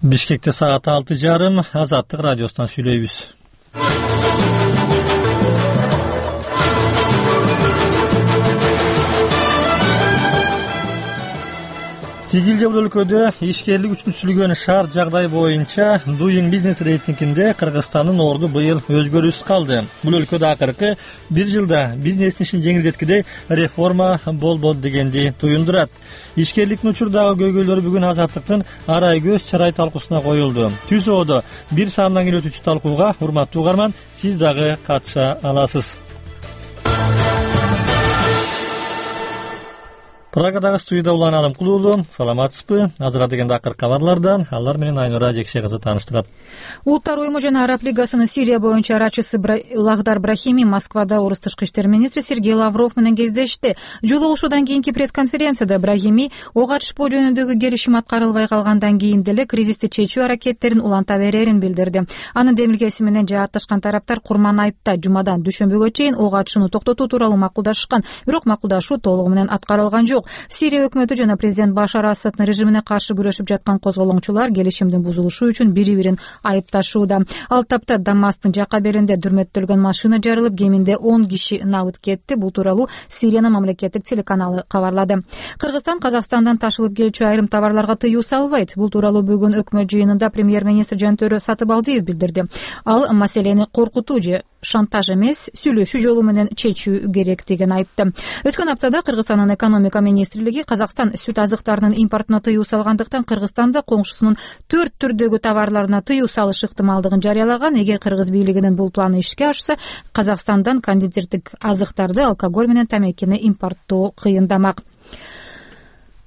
Бишкекте саат 6:30. Азаттык радиосунан сүйлөйбүз. Тигил бул өлкөдө ишкерлик үчүн түзүлгөн шарт жагдай боюнча Doing Business рейтингинде Кыргызстандын орду быйыл өзгөрүүсүз калды. Бул өлкөдө акыркы бир жылда бизнестин ишин жеңилдеткидей реформа болбоду дегенди туюндурат. Ишкерликтин учурдагы көйгөйлөрү бүгүн Азаттыктын арай көз чарай талкуусуна коюлду. Түзөөдө бир саамдан кийин өтүүчү талкууга урматтуу угарман, сиз дагы катыша аласыз. Прагадагы студияда Улан Алымкулуулу. Саламатсызбы? Азыр дегенде акыркы кабарлардан алар менен Айнура Жекше кызы тааныштырат. Улуттар уюму жана Араб лигасынын Сирия боюнча арачысы Лагдар Брахими Москвада орус тышкы иштер министри Сергей Лавров менен кездешти. Жолугушуудан кийинки пресс-конференцияда Брахими ок атышпоо жөнүндөгү келишим аткарылбай калгандан кийин деле кризисти чечүү аракеттерин уланта берерин билдирди. Анын демилгеси менен жаатташкан тараптар Курман айтта жумадан дүйшөмбүгө чейин ок атышууну токтотуу тууралуу макулдашышкан, бирок макулдашуу толугу менен аткарылган жок. Сирия өкмөтү жана президент Башар Асаддын режимине каршы күрөшүп жаткан козголоңчулар келишимдин бузулушу үчүн бири-бирин айыпташууда. Ал тапта Дамастын жакка беринде дүрмөттөлгөн машина жарылып, кеминде 10 киши набыт кетти. Бул тууралуу Сириянын мамлекеттик телеканалы кабарлады. Кыргызстан Казакстандан ташылып келчү айрым товарларга тыюу салбайт. Бул тууралуу бүгүн өкмөт жыйынында премьер-министр Жантөрө Сатыбалдиев билдирди. Ал маселени коркутуу же шантаж эмес, сүйлөшүү жолу менен чечүү керектигин айтты. Өткөн аптада Кыргызстандын экономика министрлиги Казакстан сүт азыктарынын импортуна тыюу салгандыктан Кыргызстанда коңшусунун 4 түрдөгү товарларына тыюу салыш ыктымалдыгын жарыялаган. Эгер кыргыз бийлигинин бул планы ишке ашса, Казакстандан кондитердик азыктарды, алкоголь менен тамекини импорттоо кыйындамак.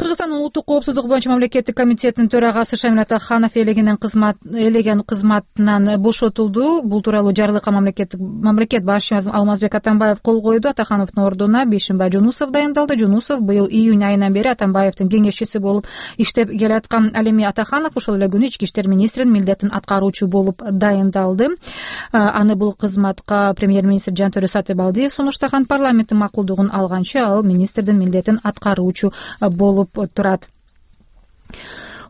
Кыргызстандын улуттук коопсуздук боюнча мамлекеттик комитетинин төрагасы Шамил Атаханов элеген кызматынан бошотулду. Бул тууралуу жарлыкка мамлекет башчы Алмазбек Атамбаев кол койду. Атахановдун ордуна Бейшимбай Жунусов дайындалды. Жунусов быйыл июнь айынан бери Атамбаевдин кеңешчиси болуп иштеп келаткан. Ал эми Атаханов ошол эле күнү ички иштер министринин милдетин аткаруучу болуп дайындалды. Аны бул кызматка премьер-министр Жантөрө Сатыбалдиев сунуштаган. Парламенттин макулдугун алганча ал министрдин милдетин аткаруучу болуп турат.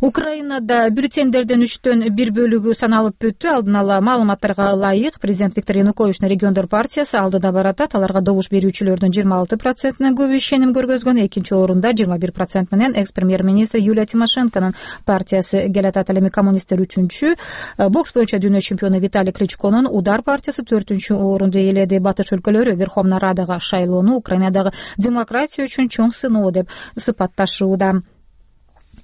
Украинада бюллетендердин 3/1 бөлүгү саналып бүттү. Алдын ала маалыматтарга ылайык Президент Виктор Януковичтин региондор партиясы алдыда баратат. Аларга добуш берүүчүлөрдүн 26%-на көбү ишеним көргөзгөн. Экинчи орунда 21% менен экс-премьер-министр Юлия Тимошенконун партиясы келатат. Ал эми коммунисттер 3-чү. Бокс боюнча дүйнө чемпиону Виталий Кличконун Удар партиясы 4-чү орунду ээледи. Батыш өлкөлөрү Верховная Радага шайлоону Украинадагы демократия үчүн чоң сыноо деп сыпатташууда.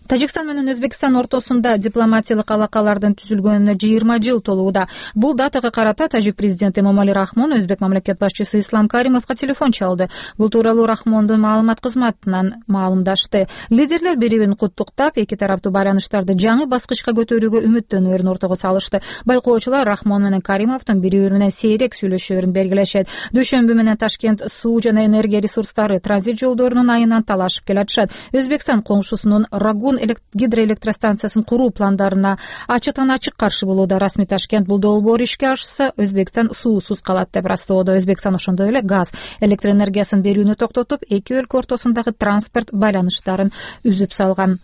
Тажикстан менен Өзбекстан ортосунда дипломатиялык алакалардын түзүлгөнүнө 20 жыл толууда. Бул датага карата тажик президенти Эмомали Рахмон өзбек мамлекет башчысы Ислам Каримовго телефон чалды. Бул тууралуу Рахмондун маалымат кызматынан маалымдашты. Лидерлер бири-бирин куттуктап, эки тараптуу байланыштарды жаңы баскычка көтөрүүгө үмүттөнөөрүн ортого салышты. Байкоочулар Рахмон менен Каримовдун бири-бири менен сейрек сүйлөшөөрүн белгилешет. Дүйшөмбү менен Ташкент суу жана энергия ресурстары транзит жолдорунун айынан талашып келатышат. Өзбекстан коңшусунун Рагун гидроэлектростанциясын куруу пландарына ачыктан ачык каршы болууда. Расмий Ташкент бул долбоор ишке ашса, Өзбекстан суусуз калат деп растоодо. Өзбекстан ошондой эле газ, электр энергиясын берүүнү токтотуп, эки өлкө ортосундагы транспорт байланыштарын үзүп салган.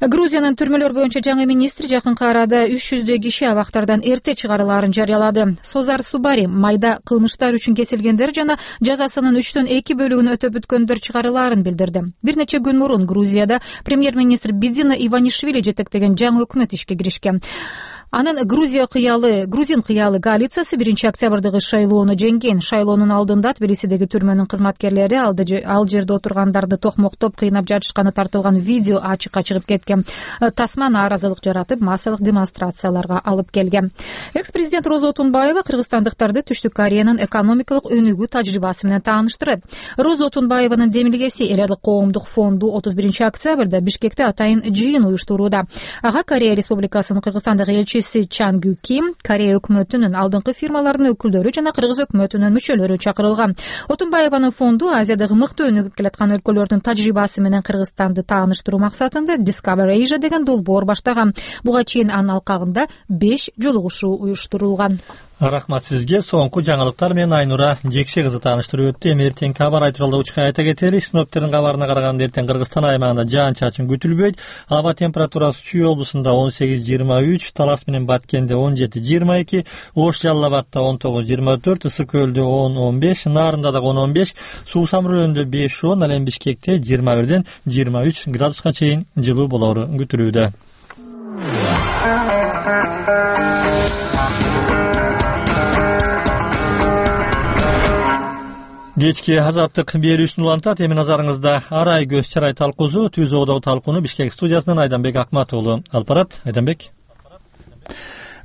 Грузиянын түрмөлөр боюнча жаңы министри жакынкы арада 300 киши абактардан эрте чыгарылаарын жарыялады. Созар Субари майда кылмыштар үчүн кесилгендер жана жазасынын 3/2 бөлүгүн өтөп бүткөндөр чыгарылаарын билдирди. Бир нече күн мурун Грузияда премьер-министр Бидина Иванишвили жетектеген жаңы өкмөт ишке киришкен. Анын грузин кыялы коалициясы 1 октябрдагы шайлоону жеңген. Шайлоонун алдында Тбилисидеги түрмөнүн кызматкерлери ал жерде отургандарды токмоктоп кыйнап жатышканы тартылган видео ачыкка чыгып кеткен. Тасма нааразылык жаратып, массалык демонстрацияларга алып келген. Экс-президент Роза Отунбаева кыргызстандыктарды Түштүк Кореянын экономикалык өнүгүү тажрыйбасы менен тааныштырат. Роза Отунбаеванын демилгеси Эл Адил коомдук фонду 31 октябрда Бишкекте атайын жыйын уюштурууда. Ага Корея Республикасынын Кыргызстандагы элчиси Чан Гю Ким, Корея өкмөтүнүн алдыңкы фирмаларынын өкүлдөрү жана кыргыз өкмөтүнүн мүчөлөрү чакырылган. Отунбаеванын фонду Азиядагы мыкты өнүгүп келаткан өлкөлөрдүн тажрыйбасы менен Кыргызстанды тааныштыруу максатында Discover Asia деген долбоор баштаган. Буга чейин анын алкагында 5 жолугушуу уюштурулган. Рахмат сизге. Соңку жаңылыктар менен Айнура Жекше кызы тааныштырып өттү. Эми эртеңки кабар айтыралда учка айта кетели. Синоптиктердин кабарына караганда эртең Кыргызстан аймагында жаан-чачын күтүлбөйт. Аба температурасы Чүй облусунда 18-23, Талас менен Баткенде 17-22, Ош Жалал-Абадда 19-24, Ысык Көлдө 10-15, Нарында дагы 10-15, Суу Самрөөнүндө 5-10, ал эми Бишкекте 21-23 градуска чейин жылуу болору күтүлүүдө. Кечки азаттык берүүсүн улантат. Эми назарыңызда Арай көз чарай талкуусу Түз оодогу талкууну Бишкек студиясынан Айданбек Акматову алып барат. Айданбек.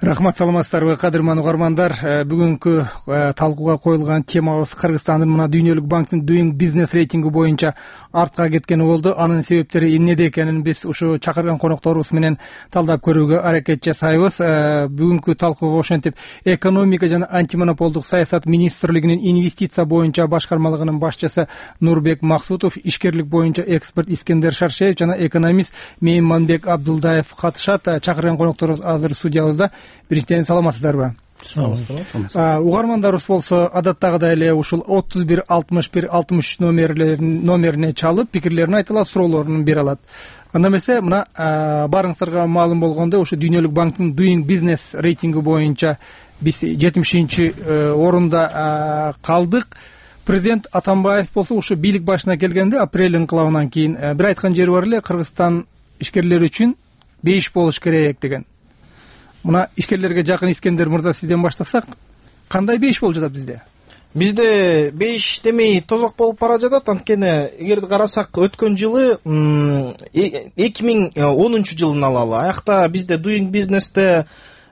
Рахмат, саламатсыздарбы кадырман угармандар. Бүгүнкү талкууга коюлган темабыз Кыргызстандын мына Дүйнөлүк банктын Doing Business рейтинги боюнча артка кеткени болду. Анын себептери эмнеде экенин биз ушу чакырган конокторубуз менен талдап көрүүгө аракет жасайбыз. Бүгүнкү талкууга ошентип экономика жана антимонополдук саясат министрлигинин инвестиция боюнча башкармалыгынын башчысы Нурбек Максутов, ишкерлик боюнча эксперт Искендер Шаршеев жана экономист Мейманбек Абдулдаев катышат. Чакырган конокторубуз азыр студиябызда. Биринчиден саламатсыздарбы? Саламатсыздар. Угармандарыбыз болсо адаттагыдай эле ушул 31 61 63 номерине чалып пикирлерин айта алат, суроолорун бере алат. Анда эмесе мына барыңыздарга маалым болгондой ушу Дүйнөлүк банктын Doing Business рейтинги боюнча биз 70-орунда калдык. Президент Атамбаев болсо ушу бийлик башына келгенде апрель инкылабынан кийин бир айткан жери бар эле, Кыргызстан ишкерлери үчүн 5 болуш керек деген. Мына ишкерлерге жакын Искендер мырза, сизден баштасак, кандай 5 болуп жатат бизде? Бизде 5 демей тозок болуп бара жатат. Анткени эгерди карасак, өткөн жылы 2010 жылын алалы. Аякта бизде Doing Business'те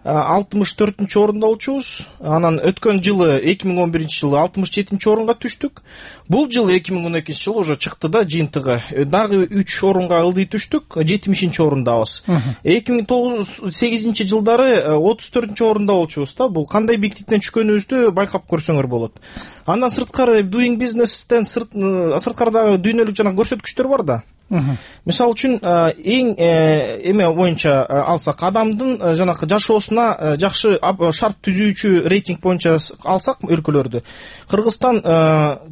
64-орунда болчубуз. Анан өткөн жылы 2011 жылы 67 орунга түштүк. Бул жылы 2012 жылы уже чыкты да жыйынтыгы. Дагы 3 орунга ылдый түштүк, 70-орундабыз. 2008 жылдары 34-орунда болчубуз да. Бул кандай биктиктен түшкөнүбүздү байкап көрсөңөр болот. Андан сырткары Doing Business'тен сырткары дүйнөлүк жана көрсөткүчтөр бар да. Мисалы үчүн эң эме боюнча алсак, адамдын жанакы жашоосуна жакшы шарт түзүүчү рейтинг боюнча алсак өлкөлөрдү, Кыргызстан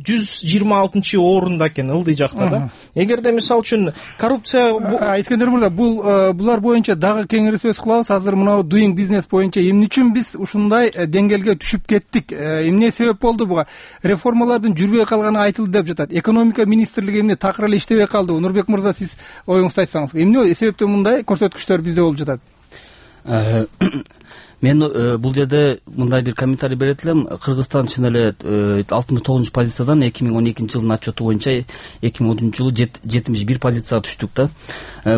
126-орунда экен, ылдый жакта да. Эгерде мисалы үчүн коррупция Искендер мырза, булар боюнча дагы кеңири сөз кылабыз. Азыр мына Doing Business боюнча эмне үчүн биз ушундай деңгээлге түшүп кеттик? Эмне себеп болду буга? Реформалардын жүрбөй калганы айтылды деп жатат. Экономика министрлиги эмне такыр эле иштебей калды? Нурбек мырза, сиз оюңузду айтсаңыз, эмне себептен мындай көрсөткүчтөр бизде болуп жатат? Мен бул жерде мындай бир комментарий берет элем. Кыргызстан чын эле 69 позициядан 2012 жылдын отчету боюнча 2010 жылы 71 позицияга түштүк да.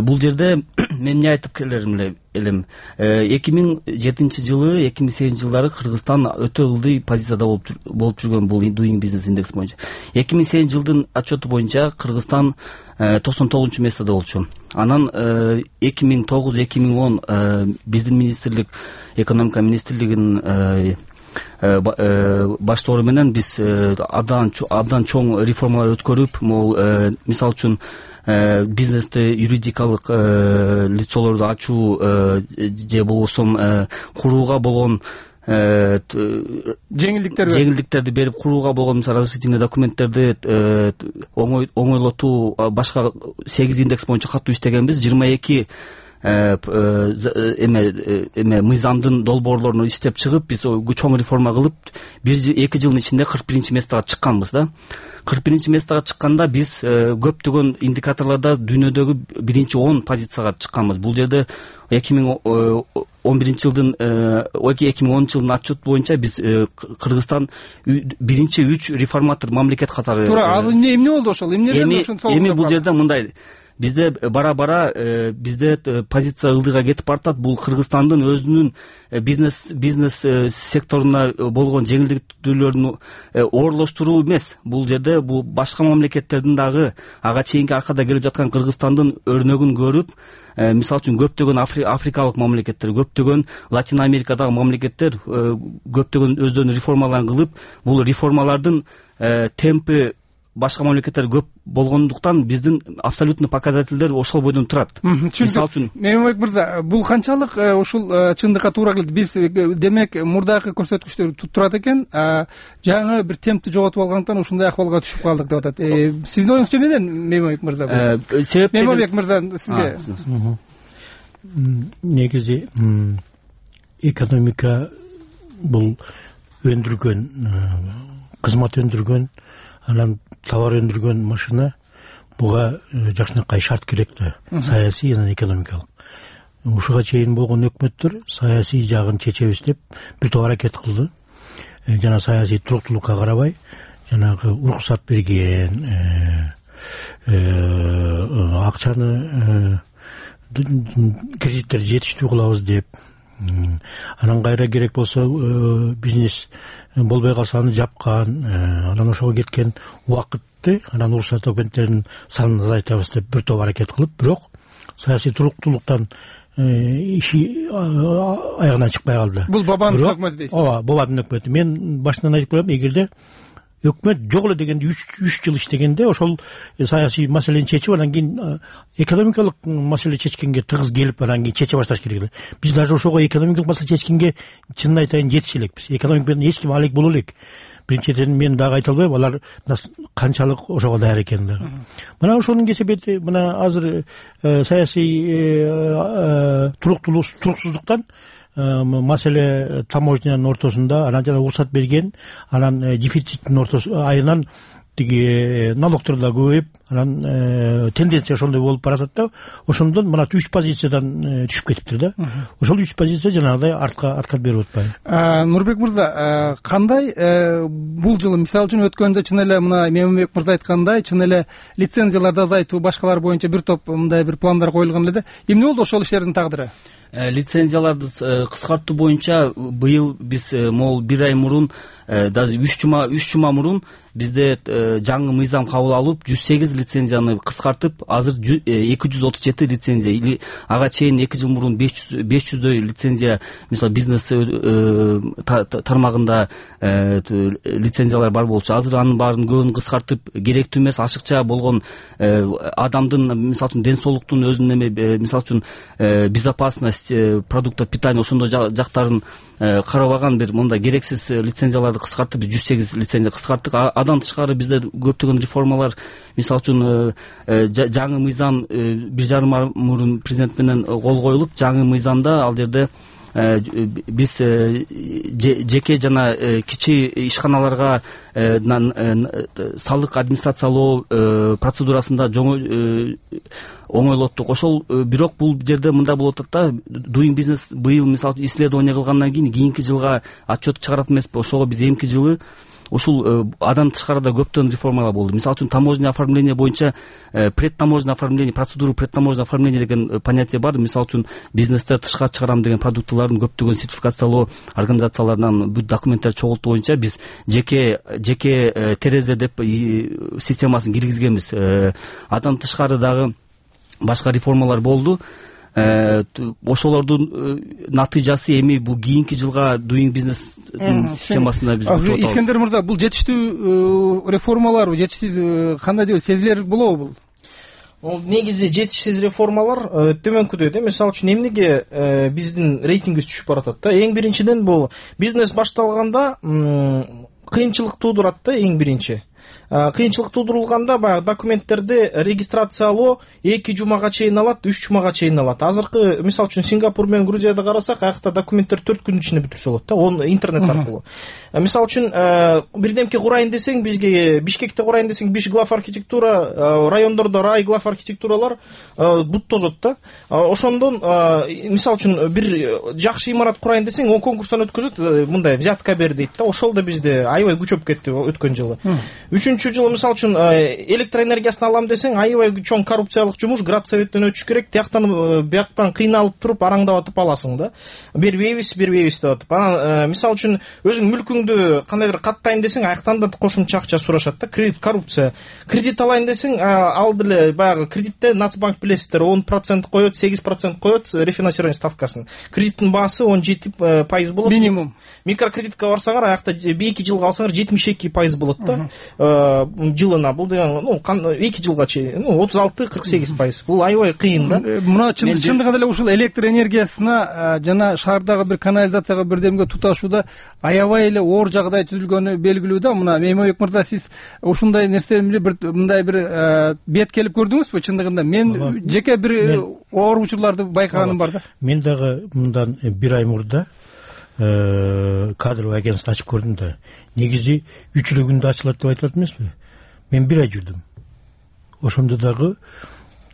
Бул жерде мен эмне айтып келерим элем. 2007 жылы, 2008 жылдары Кыргызстан өтө ылдый позицияда болуп жүргөн бул Doing Business индекс боюнча. 2008 жылдын отчету боюнча Кыргызстан 99 месседе болчу. Анан 2009-2010 биздин министрлик, экономика министрлигинин баштоору менен биз абдан чоң реформалар өткөрүп, могул мисалы үчүн бизнести юридикалык лицолорду ачуу же болбосо курууга болгон жеңилдиктерди берип, курууга болгон разрешительный документтерди оңойлотуу, башка 8 индекс боюнча катуу иштегенбиз. 22 мыйзамдын долбоорлорун иштеп чыгып, биз чоң реформа кылып 1-2 жылдын ичинде 41 месяга чыкканбыз да. 41 месяга чыкканда биз көптөгөн индикаторлордо дүйнөдөгү 1-10 позицияга чыкканбыз. Бул жерде 2011 жылдын 2010 жылдын отчет боюнча биз Кыргызстан 1-3 реформатор мамлекет катары. Туура, ал эмне болду ошол? Эми бул жерде мындай, бизде бара-бара бизде позиция ылдыйга кетип баратат. Бул Кыргызстандын өзүнүн бизнес секторуна болгон жеңилдиктүүлөрүн оорлоштуруу эмес. Бул жерде бул башка мамлекеттердин дагы ага чейинки аркада келип жаткан Кыргызстандын өрнөгүн көрүп, мисалы үчүн көптөгөн африкалык мамлекеттер, көптөгөн Латин Америкадагы мамлекеттер көптөгөн өздөрүнүн реформаларын кылып, бул реформалардын темпи башка мамлекеттер көп болгондуктан биздин абсолютный показательдер ошол бойдон турат. Мисалы үчүн Мемлекет мырза, бул канчалык ушул чындыкка туура келет? Биз демек мурдакы көрсөткүчтөр турат экен, жаңы бир темпти жоготуп алгандыктан ушундай акыбалга түшүп калдык деп атат. Сиздин оюңузча эмнеден, Мемлекет мырза? Мемлекет мырза, сизге негизи экономика бул өндүргөн, кызмат өндүргөн, анан товар өндүргөн машина, буга жакшынакай шарт керек да, саясий жана экономикалык. Ушуга чейин болгон өкмөттөр саясий жагын чечебиз деп бир топ аракет кылды. Жана саясий туруктуулукка карабай, жанагы уруксат берген, акчаны кредиттерди жетиштүү кылабыз деп, анан кайра керек болсо бизнес болбой калса аны жапкан, анан ошого кеткен убакытты, анан уруксат документтеринин санын азайтабыз деп бир топ аракет кылып, бирок саясий туруктуулуктан иши аягынан чыкпай калды. Бул Бабанов өкмөтү дейсиз? Ооба, Бабанов өкмөтү. Мен башынан айтып коем, эгерде өкмөт жок эле дегенде 3 жыл иштегенде ошол саясий маселени чечип, анан кийин экономикалык маселе чечкенге тыгыз келип, анан кийин чече башташ керек эле. Биз даже ошого экономикалык маселе чечкенге чынын айтайын жетише элекпиз. Экономика менен эч ким алек боло элек. Биринчиден мен дагы айта албайм, алар канчалык ошого даяр экендигин. Мына ошонун кесепети, мына азыр саясий туруксуздуктан маселе таможнянын ортосунда, анан жана уруксат берген, анан дефициттин айынан тиги налогдор да көбөйүп, анан тенденция ошондой болуп баратат да, ошондон мына 3 позициядан түшүп кетиптир да. Ошол 3 позиция жанагыдай артка берип атпайбы? Нурбек мырза, кандай бул жылы, мисалы үчүн өткөндө чын эле мына Мемлекет мырза айткандай, чын эле лицензияларды азайтуу, башкалар боюнча бир топ мындай бир пландар коюлган эле да. Эмне болду ошол иштердин тагдыры? Лицензияларды кыскартуу боюнча быйыл биз могул 1 ай мурун, даже 3 жума мурун бизде жаңы мыйзам кабыл алып, 108 лицензияны кыскартып, азыр 237 лицензия, или ага чейин 2 жыл мурун 500дөй лицензия, мисалы бизнес тармагында лицензиялар бар болчу. Азыр анын баарын көбүн кыскартып, керектүү эмес, ашыкча болгон адамдын, мисалы үчүн ден соолуктун өзүнүн, мисалы үчүн безопасность продуктов питания ошондой жактарын карабаган бир мындай керексиз лицензияларды кыскартып, 108 лицензия кыскарттык. Адан тышкары бизде көптөгөн реформалар, мисалы үчүн жаңы мыйзам 1,5 ай мурун президент менен кол коюлуп, жаңы мыйзамда ал жерде биз жеке жана кичи ишканаларга салык администрациялоо процедурасында оңойлоттук. Ошол бирок бул жерде мындай болуп атат да, Doing Business быйыл мисалы исследование кылгандан кийинки жылга отчет чыгарат эмеспи, ошого биз эмки жылы ушул адан тышкары да көптөгөн реформалар болду. Мисалы үчүн таможенный оформление боюнча предтаможенный оформление, процедуру предтаможенный оформление деген понятие бар. Мисалы үчүн бизнесте тышка чыгарам деген продуктлардын көптөгөн сертификациялоо организацияларынан бүт документтер чогултуу боюнча биз жеке терезе деп системасын киргизгенбиз. Адан тышкары дагы башка реформалар болду. Ошолордун натыйжасы эми бул кийинки жылга Doing Business системасында биз күтүп атабыз. Искендер мырза, бул жетиштүү реформалар, жетишсиз кандай деп сезилер болобу бул? Ол негизи жетишсиз реформалар төмөнкүдөй да. Мисалы үчүн эмнеге биздин рейтингибиз түшүп баратат да? Эң биринчиден бул бизнес башталганда кыйынчылык туудурат да, эң биринчи. Кыйынчылык туудурулганда баягы документтерди регистрациялоо 2 жумага чейин алат, 3 жумага чейин алат. Азыркы мисалы үчүн Сингапур менен Грузияда карасак, аякта документтер 4 күнүн ичинде бүтүрсө болот да, он интернет аркылуу. Мисалы үчүн бирдемке курайын десең, бизге Бишкекте курайын десең, Биш глав архитектура, райондордо рай глав архитектуралар бут тозот да. Ошондон мисалы үчүн бир жакшы имарат курайын десең, 10 конкурстан өткөзөт, мындай взятка бер дейт да. Ошол да бизде аябай күчөп кетти өткөн жылы. Үчүнчү жылы мисалы үчүн электроэнергиясын алам десең, аябай чоң коррупциялык жумуш, градсоветтен өтүш керек, бияктан кыйналып туруп араңдап атып аласың да. Бербейбиз деп атып. Анан мисалы үчүн өзүң мүлкүңдү кандайдыр каттайын десең, аяктан да кошумча акча сурашат да. Кредит, коррупция. Кредит алайын десең, ал деле баягы кредитте Нацбанк билесиздер, 10% коет, 8% коет рефинансирование ставкасын. Кредиттин баасы 17% болот. Минимум. Микрокредитке барсаңар, аякта 2 жылга алсаңар 72% болот да. жылына, бул деген 2 жылга чейин 36-48%. Бул аябай кыйын да. Мына чындыгында эле ушул электр энергиясына жана шаардагы бир канализацияга бирдемге туташууда аябай эле оор жагдай түзүлгөнү белгилүү да. Мына Мейманбек мырза, сиз ушундай нерсени мындай бир бет келип көрдүңүзбү? Чындыгында мен жеке бир оор учурларды байкаганым бар да. Мен дагы мындан 1 ай мурда кадровый агентство ачып көрдүм да. Негизи 3 күндө ачылат деп айтылат эмеспи? Мен 1 ай жүрдүм. Ошондо дагы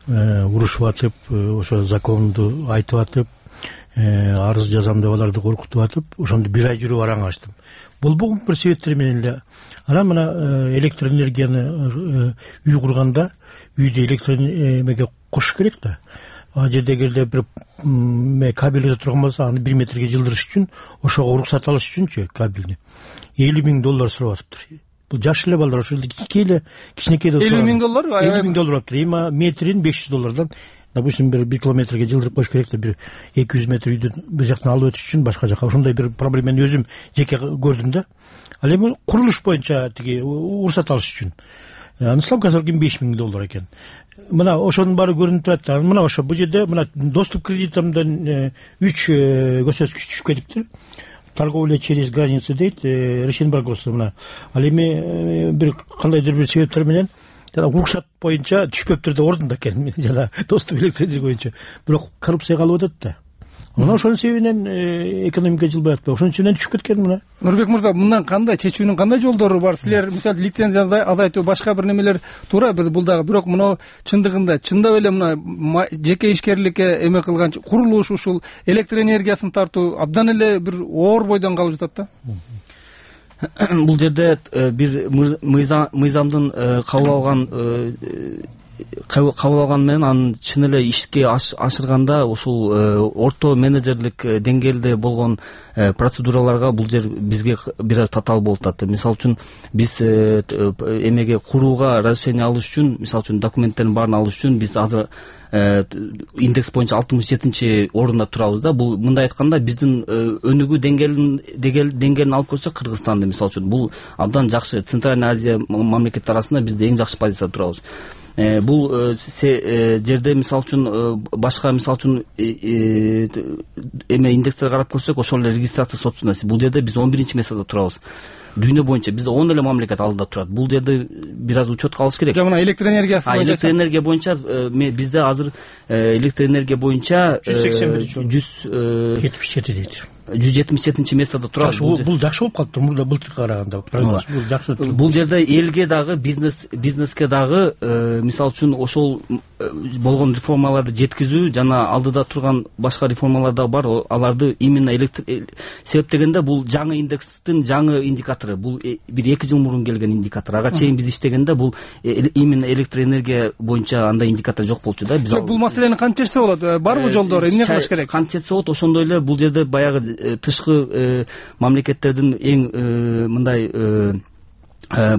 урушуп атып, ошо законду айтып атып, арыз жазам деп аларды коркутуп атып, ошондо 1 ай жүрүп араң ачтым. Болбогон бир себептер менен эле анан мына электр энергияны үй курганда үйдө электр эмеге кошуш керек да. Ал жерде эгерде бир кабель өтө турган болсо, аны 1 метрге жылдырыш үчүн, ошого уруксат алыш үчүнчү кабелни $50,000 сурап атыптыр. Бул жаш эле балдар, ошол эле кичинекей $50,000, $50,000 атыптыр. Эми метрин $500. Допустим, 1 километрге жылдырып коюш керек да, бир 200 метр үйдөн бир жактан алып өтүш үчүн башка жака. Ошондой бир проблеманы өзүм жеке көрдүм да. Ал эми курулуш боюнча тиги уруксат алыш үчүн ислам казаркин $5,000 экен. Мына ошонун баары көрүнүп турат да. Мына ошо бул жерде мына доступ кредитимден 3 көрсөткүч түшүп кетиптир. Торговля через границу дейт, Рощенбарговство мына. Ал эми бир кандайдыр бир себептер менен жана уруксат боюнча түшпөптүр да, ордунда экен жана доступ электр боюнча. Бирок коррупция калып атат да. Мына ошонун себебинен экономика жылбай атпайбы? Ошонун үчүн түшүп кеткен мына. Нурбек мырза, мындан кандай чечүүнүн кандай жолдору бар? Силер мисалы лицензия азайтуу, башка бир немелер туура бул дагы, бирок мына чындыгында чындап эле мына жеке ишкерликке эме кылган курулуш, ушул электр энергиясын тартуу абдан эле бир оор бойдон калып жатат да. Бул жерде бир мыйзамдын кабыл алган менен анын чын эле ишке ашырганда ушул орто менеджерлик деңгээлде болгон процедураларга бул жер бизге бир аз татаал болуп атат. Мисалы үчүн биз эмеге курууга разрешение алыш үчүн, мисалы үчүн документтердин баарын алыш үчүн биз азыр индекс боюнча 67-орунда турабыз да. Бул мындай айтканда биздин өнүгүү деңгээлин алып көрсөк, Кыргызстанды мисалы үчүн бул абдан жакшы. Центральный Азия мамлекеттери арасында бизде эң жакшы позицияда турабыз. Бул жерде мисалы үчүн башка мисалы үчүн эме индекстерге карап көрсөк, ошол эле регистрация собственности, бул жерде биз 11-месяцте турабыз. Дүйнө боюнча бизде 10 эле мамлекет алдыда турат. Бул жерде бир аз учетко алыш керек. Жана электр энергиясы боюнча. Электр энергия боюнча бизде азыр электр энергия боюнча 177 дейт. 177-месяцте турабыз. Бул жакшы болуп калыптыр мурда былтыркы караганда. Бул жакшы. Бул жерде элге дагы бизнеске дагы мисалы үчүн ошол болгон реформаларды жеткизүү жана алдыда турган башка реформалар да бар. Аларды именно электр себеп дегенде бул жаңы индекстин жаңы индикатору. Бул бир 2 жыл мурун келген индикатор. Ага чейин биз иштегенде бул именно электр энергия боюнча андай индикатор жок болчу да. Биз бул маселени кантип чечсе болот? Барбы жолдору? Эмне кылыш керек? Кантип чечсе болот? Ошондой эле бул жерде баягы тышкы мамлекеттердин эң мындай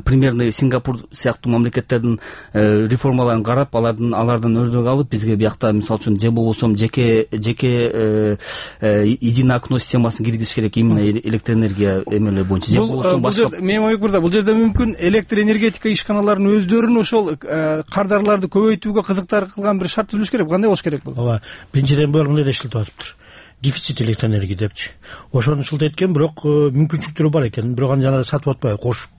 примерный Сингапур сыяктуу мамлекеттердин реформаларын карап, алардан өрнөк алып, бизге биякта мисалы үчүн же болбосо жеке единое окно системасын киргизиш керек именно электр энергия эмелер боюнча. Же болбосо башка. Мейманбек мырза, бул жерде мүмкүн электр энергетика ишканаларынын өздөрүн ошол кардарларды көбөйтүүгө кызыктар кылган бир шарт түзүлүш керек. Кандай болуш керек бул? Ооба, биринчиден булар мындай эшилтип атыптыр. Дефицит электр энергия депчи. Ошону шылтайткен, бирок мүмкүнчүлүктөрү бар экен. Бирок аны жана сатып атпай кошуп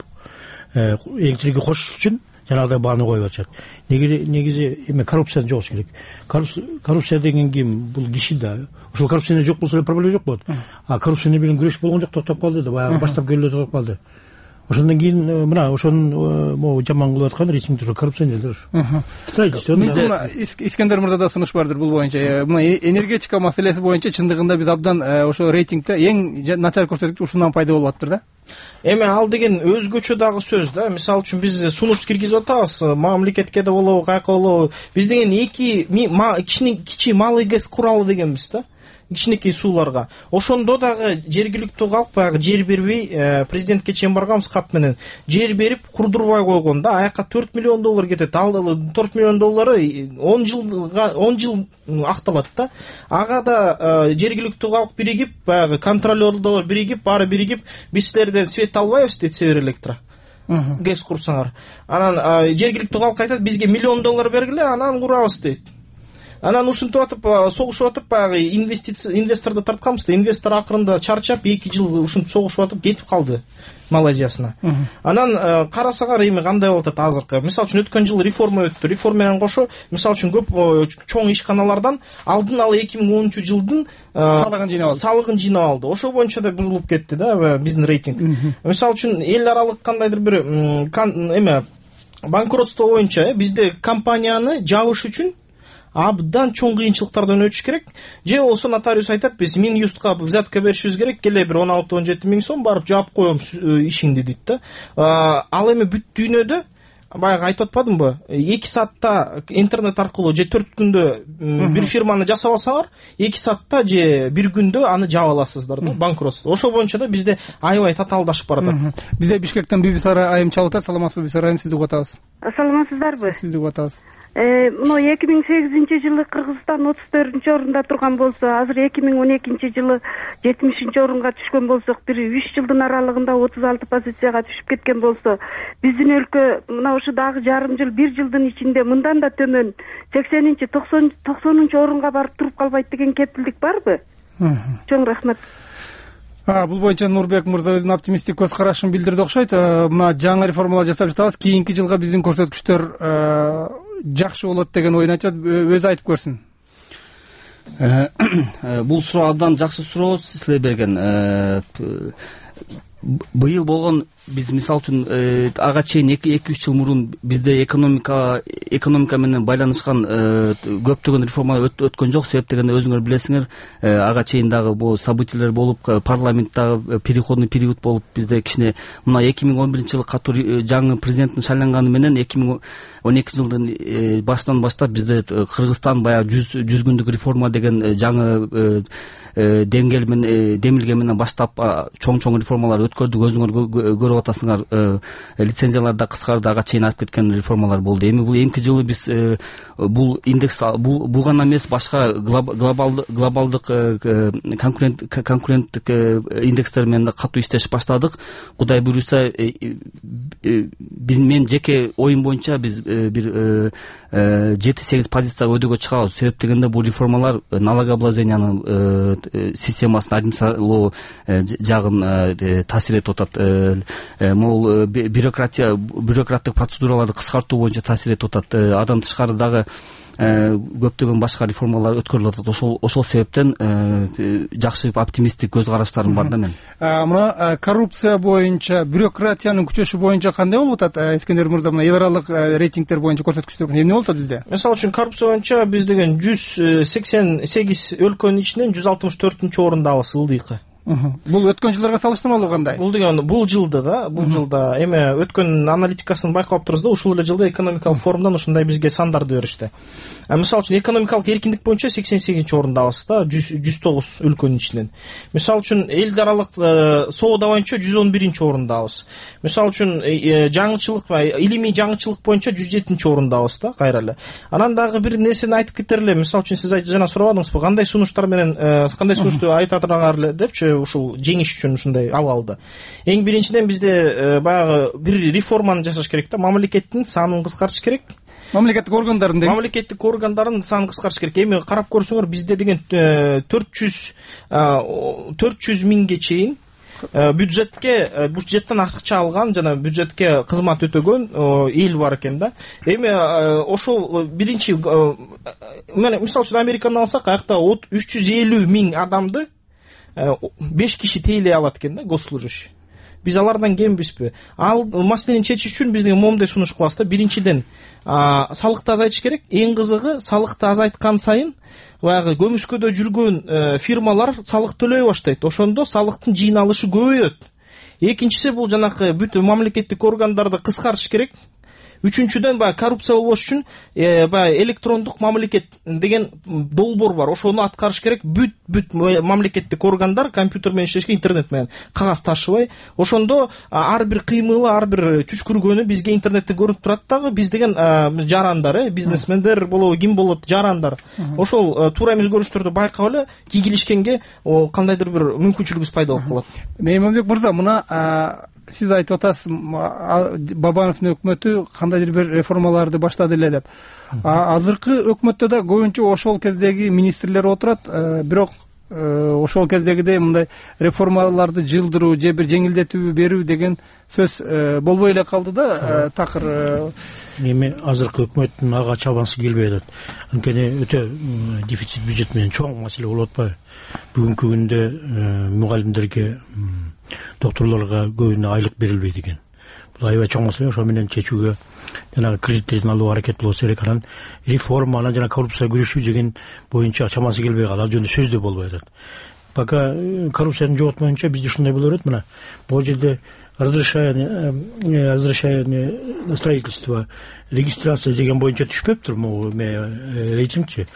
электрге кошуш үчүн жанагыдай бааны коюп атышат. Негизи эме коррупция жок керек. Коррупция деген ким? Бул киши да. Ошол коррупция жок болсо проблема жок болот. А коррупция менен күрөш болгон жок, токтоп калды да, баягы баштап келип токтоп калды. Ошондон кийин мына ошонун могу жаман кылып аткан рейтингдер коррупционерлер. Мына Искендер мырзада сунуш бардыр бул боюнча. Мына энергетика маселеси боюнча чындыгында биз абдан ошо рейтингде эң начар көрсөткүч ушундан пайда болуп атыптыр да. Эми ал деген өзгөчө дагы сөз да. Мисалы үчүн биз сунуш киргизип атабыз, мамлекетке да болобу, каяка болобу. Биз деген кичи малый гэс куралы дегенбиз да. Кичинекей сууларга. Ошондо дагы жергиликтүү калк баягы жер бербей, президентке чейин барганбыз кат менен. Жер берип курдурбай койгон да. Аяка $4 миллион кетет. Ал $4 миллион 10 жыл акталат да. Ага да жергиликтүү калк биригип, баягы контролёрлор биригип, баары биригип, биз силерден свет албайбыз дейт Север Электро. гэс курсаңар, анан жергиликтүү калк айтат бизге $1 миллион бергиле, анан курабыз дейт. Анан ушинтип атып согушуп атып баягы инвесторду тартканбыз да, инвестор акырында чарчап 2 жыл ушинтип согушуп атып кетип калды Малайзиясына. Анан карасаңар эми кандай болуп атат азыркы. Мисалы үчүн өткөн жыл реформа өттү. Реформа менен кошо мисалы үчүн көп чоң ишканалардан алдын ала 2010-жылдын салыгын жыйнап алды. Ошо боюнча да бузулуп кетти да биздин рейтинг. Мисалы үчүн эл аралык кандайдыр бир эме банкротство боюнча бизде компанияны жабыш үчүн абдан чоң кыйынчылыктардан өтүш керек. Же болсо нотариус айтат, биз Минюстка взятка беришибиз керек, келе бир 16-17 миң сом барып жаап коем ишиңди дейт да. Ал эми бүт дүйнөдө баягы айтып атпадымбы, 2 саатта интернет аркылуу же 4 күндө бир фирманы жасап алсаңар, 2 саатта же 1 күндө аны жаап аласыздар да, банкротство. Ошо боюнча да бизде аябай татаалдашып баратат. Бизде Бишкектен Бибисара айым чалып атат. Саламатсызбы Бибисара айым, сизди угуп атабыз. Саламатсыздарбы? Сизди угуп атабыз. Мына 2008-жылы Кыргызстан 34-орунда турган болсо, азыр 2012-жылы 70-орунга түшкөн болсок, бир 3 жылдын аралыгында 36 позицияга түшүп кеткен болсо, биздин өлкө мына ушу дагы жарым жыл, 1 жылдын ичинде мындан да төмөн 80-90-орунга барып туруп калбайт деген кепилдик барбы? Чоң рахмат. Бул боюнча Нурбек мырза өзүнүн оптимисттик көз карашын билдирди окшойт. Мына жаңы реформалар жасап жатабыз, кийинки жылга биздин көрсөткүчтөр жакшы болот деген оюн айтат. Өзү айтып көрсүн. Бул суроо абдан жакшы суроо силер берген. Быйыл болгон биз мисалы үчүн ага чейин 2-3 жыл мурун бизде экономика менен байланышкан көптөгөн реформалар өткөн жок. Себеп дегенде өзүңөр билесиңер, ага чейин дагы бул событиялар болуп, парламенттагы переходный период болуп, бизде кичине мына 2011-жылы катуу жаңы президенттин шайланганы менен 2012-жылдын башынан баштап бизде Кыргызстан баягы 100 күндүк реформа деген жаңы демилге менен баштап чоң реформалар өткөрдүк. Өзүңөр көрүп атасыңар, лицензиялар да кыскарды, ага чейин алып кеткен реформалар болду. Эми бул эмки жылы биз бул индекс бул гана эмес, башка глобалдык конкуренттик индекстер менен да катуу иштешип баштадык. Кудай буйруса, мен жеке оюм боюнча биз бир 7-8 позицияга өйдөгө чыгабыз. Себеп дегенде бул реформалар налогообложениянын системасын, администрациялоо жагын таасир этип атат. Могул бюрократтык процедураларды кыскартуу боюнча таасир этип атат. Андан тышкары дагы көптөгөн башка реформалар өткөрүлүп атат. Ошол себептен жакшы оптимисттик көз караштарым бар да мен. Мына коррупция боюнча, бюрократиянын күчөшү боюнча кандай болуп атат? Эскендер мырза, мына эл аралык рейтингтер боюнча көрсөткүчтөр эмне болуп атат бизде? Мисалы үчүн коррупция боюнча биз деген 188 өлкөнүн ичинен 164-орундабыз ылдыйкы. Бул өткөн жылдарга салыштырмалуу кандай? Бул деген бул жылда эми өткөн аналитикасын байкап турбуз да, ушул эле жылда экономикалык форумдан ушундай бизге сандарды беришти. Мисалы үчүн экономикалык эркиндик боюнча 88-орундабыз да, 109 өлкөнүн ичинен. Мисалы үчүн эл аралык соода боюнча 111-орундабыз. Мисалы үчүн жаңычылык, илимий жаңычылык боюнча 107-орундабыз да, кайра эле. Анан дагы бир нерсени айтып кетер эле. Мисалы үчүн сиз жана сурабадыңызбы, кандай сунуштар менен кандай сунушту айтатыраңар эле депчи, ушул жеңиш үчүн ушундай абалда. Эң биринчиден бизде баягы бир реформаны жасаш керек да, мамлекеттин санын кыскартыш керек. Мамлекеттик органдардын санын кыскартыш керек. Эми карап көрсөңөр, бизде деген 400 миңге чейин бюджеттен акча алган жана бюджетке кызмат өтөгөн эл бар экен да. Эми ошол биринчи, мисалы үчүн Американы алсак, аякта 350 миң адамды 5 киши тейлей алат экен да, госслужащий. Биз алардан кембизби? Ал маселени чечиш үчүн биз момундай сунуш кылабыз да. Биринчиден, салыкты азайтыш керек. Эң кызыгы, салыкты азайткан сайын баягы көмүскөдө жүргөн фирмалар салык төлөй баштайт. Ошондо салыктын жыйналышы көбөйөт. Экинчиси, бул жанакы бүт мамлекеттик органдарды кыскартыш керек. Үчүнчүдөн, баягы коррупция болбош үчүн баягы электрондук мамлекет деген долбоор бар. Ошону аткарыш керек. Бүт мамлекеттик органдар компьютер менен иштешке, интернет менен, кагаз ташыбай. Ошондо ар бир кыймылы, ар бир түшкүргөнү бизге интернетте көрүнүп турат дагы. Биз деген жарандар, бизнесмендер болобу, ким болот, жарандар. Ошол туура эмес көрүнүштөрдү байкап эле кийгилишкенге кандайдыр бир мүмкүнчүлүгүбүз пайда болуп калат. Мейманбек мырза, мына сиз айтып атасыз Бабановдун өкмөтү кандайдыр бир реформаларды баштады эле деп. Азыркы өкмөттө да көбүнчө ошол кездеги министрлер отурат, бирок ошол кездегидей мындай реформаларды жылдыруу же бир жеңилдетүү берүү деген сөз болбой эле калды да. Такыр эми азыркы өкмөттүн ага чабансы келбей атат. Анткени өтө дефицит бюджет менен чоң маселе болуп атпайбы? Бүгүнкү күндө мугалимдерге, докторлорго көбүнө айлык берилбейт экен. Бул аябай чоң маселе. Ошо менен чечүүгө жанагы кредиттердин алуу аракет болсо керек. Анан реформа, анан жана коррупцияга күрөшүү деген боюнча чамасы келбей калды. Ал жөнүндө сөз да болбой атат. Пока коррупцияны жоготмоюнча бизде ушундай боло берет. Мына бул жерде разрешение на строительство, регистрация деген боюнча түшпөптүр могу рейтингчи.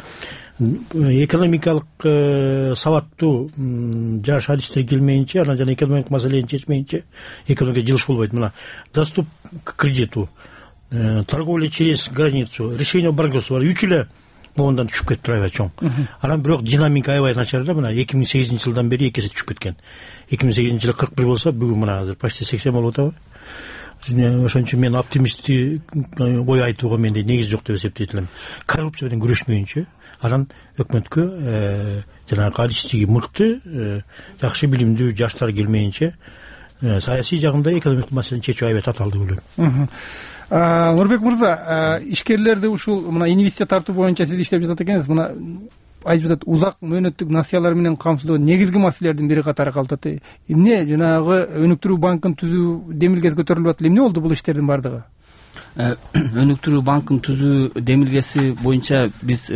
Экономикалык сабаттуу жаш адистер келмейинче, анан жана экономикалык маселени чечмейинче экономика жылыш болбойт. Мына доступ к кредиту, торговля через границу, решение банкротства 3 эле моундан түшүп кетти аябай чоң. Анан бирок динамика аябай начар да. Мына 2008 жылдан бери 2 эсе түшүп кеткен. 2008 жылы 41 болсо, бүгүн мына азыр почти 80 болуп атабы. Ошон үчүн мен оптимист ой айтууга менде негиз жок деп эсептейт элем. Коррупция менен күрөшмөйүнчө, анан өкмөткө жанагы адистиги мыкты, жакшы билимдүү жаштар келмейинче саясий жагында экономикалык маселени чечүү аябай татаалдуу деп ойлойм. Нурбек мырза, ишкерлерди ушул мына инвестиция тартуу боюнча сиз иштеп жатат экенсиз. Мына айтып жатат, узак мөөнөттүк насыялар менен камсыздоо негизги маселелердин бири катары калып атат. Эмне жанагы өнүктүрүү банкын түзүү демилгеси көтөрүлүп атат? Эмне болду бул иштердин бардыгы? Өнүктүрүү банкын түзүү демилгеси боюнча биз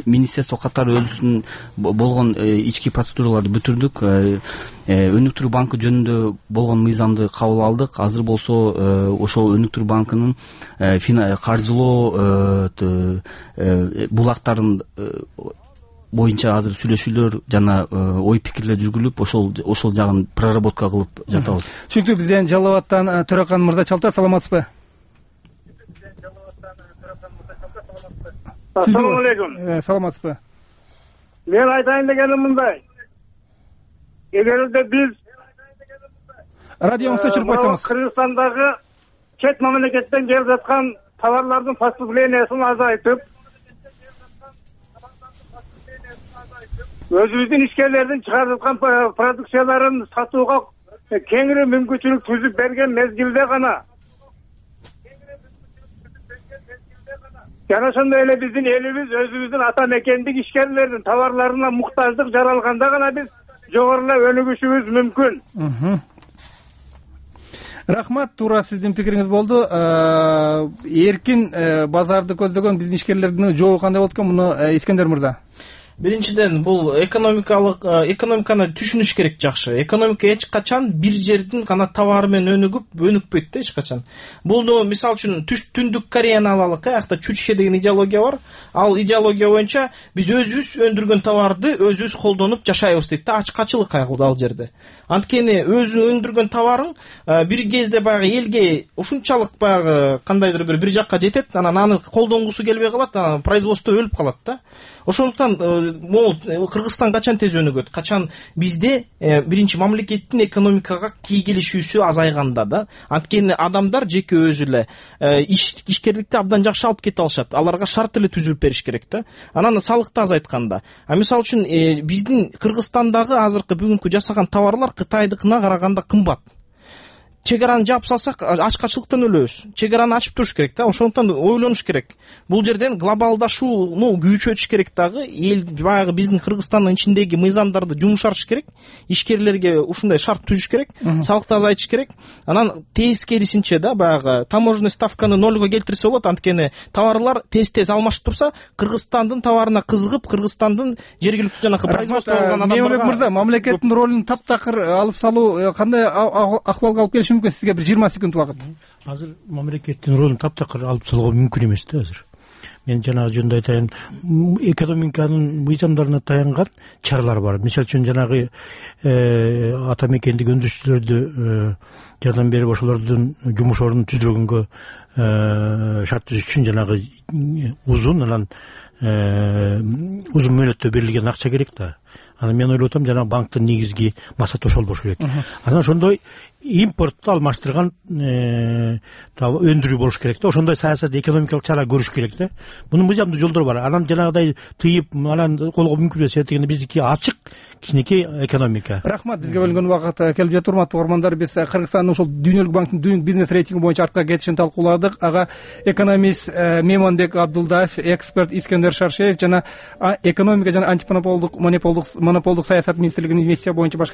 министерство катары өзүнүн болгон ички процедураларды бүтүрдүк. Өнүктүрүү банкы жөнүндө болгон мыйзамды кабыл алдык. Азыр болсо ошол өнүктүрүү банкынын каржылоо булактарын боюнча азыр сүйлөшүүлөр жана ой пикирлер жүргүлүп, ошол жагын проработка кылып жатабыз. Түшүнүктүү. Бизден Жалал абадтан Төрөкан мырза Чалтар, саламатсызбы? Ассаламу алейкум. Саламатсызбы? Мен айтайын дегеним мындай. Эгерде биз радионузду өчүрүп койсоңуз. Кыргызстандагы чет мамлекеттен келип жаткан товарлардын поступлениясын азайтып, өзүбүздүн ишкерлердин чыгарып жаткан продукцияларын сатууга кеңири мүмкүнчүлүк түзүп берген мезгилде гана, жана ошондой эле биздин элибиз өзүбүздүн ата мекендик ишкерлердин товарларына муктаждык жаралганда гана биз жогорулай өнүгүшүбүз мүмкүн. Рахмат, туура сиздин пикириңиз болду. Эркин базарды көздөгөн биздин ишкерлердин жобу кандай болот экен, муну Искендер мырза? Биринчиден, бул экономиканы түшүнүш керек жакшы. Экономика эч качан бир жердин гана товары менен өнүкпөйт да эч качан. Бул мисалы үчүн Түндүк Кореяны алалык, аякта Чучхе деген идеология бар. Ал идеология боюнча биз өзүбүз өндүргөн товарды өзүбүз колдонуп жашайбыз дейт да. Ачкачылык кайгылды ал жерде. Анткени өзү өндүргөн товарың бир кезде баягы элге ушунчалык баягы кандайдыр бир жакка жетет, анан аны колдонгусу келбей калат, анан производство өлүп калат да. Ошондуктан Кыргызстан качан тез өнүгөт? Качан бизде биринчи мамлекеттин экономикага тийгилишүүсү азайганда да. Анткени адамдар жеке өзү эле ишкерликти абдан жакшы алып кете алышат. Аларга шарт эле түзүп бериш керек да. Анан салыкты азайтканда. Мисалы үчүн биздин Кыргызстандагы азыркы бүгүнкү жасаган товарлар Кытайдыкына караганда кымбат. Чегараны жаап салсак ачкачылыктан өлөбүз. Чегараны ачып туруш керек да. Ошондуктан ойлонуш керек. Бул жерден глобалдашууну күчөтүш керек дагы. Эл баягы биздин Кыргызстандын ичиндеги мыйзамдарды жумшартыш керек. Ишкерлерге ушундай шарт түзүш керек. Салыкты азайтыш керек. Анан тескерисинче да баягы таможенный ставканы нольго келтирсе болот. Анткени товарлар тез-тез алмашып турса, Кыргызстандын товарына кызыгып, Кыргызстандын жергиликтүү жанагы производство кылган адамдарга. Мемлекет мырза, мамлекеттин ролун таптакыр алып салуу кандай акыбалга алып келиши мүмкүн? Сизге бир 20 секунд убакыт. Азыр мамлекеттин ролун таптакыр алып салууга мүмкүн эмес да азыр. Мен жанагы жөнүндө айтайын, экономиканын мыйзамдарына таянган чаралар бар. Мисалы үчүн жанагы ата мекендик өндүрүүчүлөрдү жардам берип ошолордун жумуш ордун түзүлгөнгө шарт түзүш үчүн жанагы узун мөөнөттө берилген акча керек да. Анан мен ойлоп атам, жана банктын негизги максаты ошол болуш керек. Анан ошондой импортту алмаштырган өндүрүү болуш керек да. Ошондой саясат, экономикалык чара көрүш керек да. Мунун мыйзамдуу жолдору бар. Анан жанагыдай тыйып, анан колго мүмкүн эмес дегенде биздики ачык кичинекей экономика. Рахмат, бизге бөлүнгөн убакыт келип жатты. Урматтуу угармандар, биз Кыргызстандын ошол дүйнөлүк банктын Doing Business рейтинги боюнча артка кетишин талкууладык. Ага экономист Мейманбек Абдулдаев, эксперт Искендер Шаршеев жана экономика жана антимонополдук саясат министрлигинин инвестиция боюнча башкарма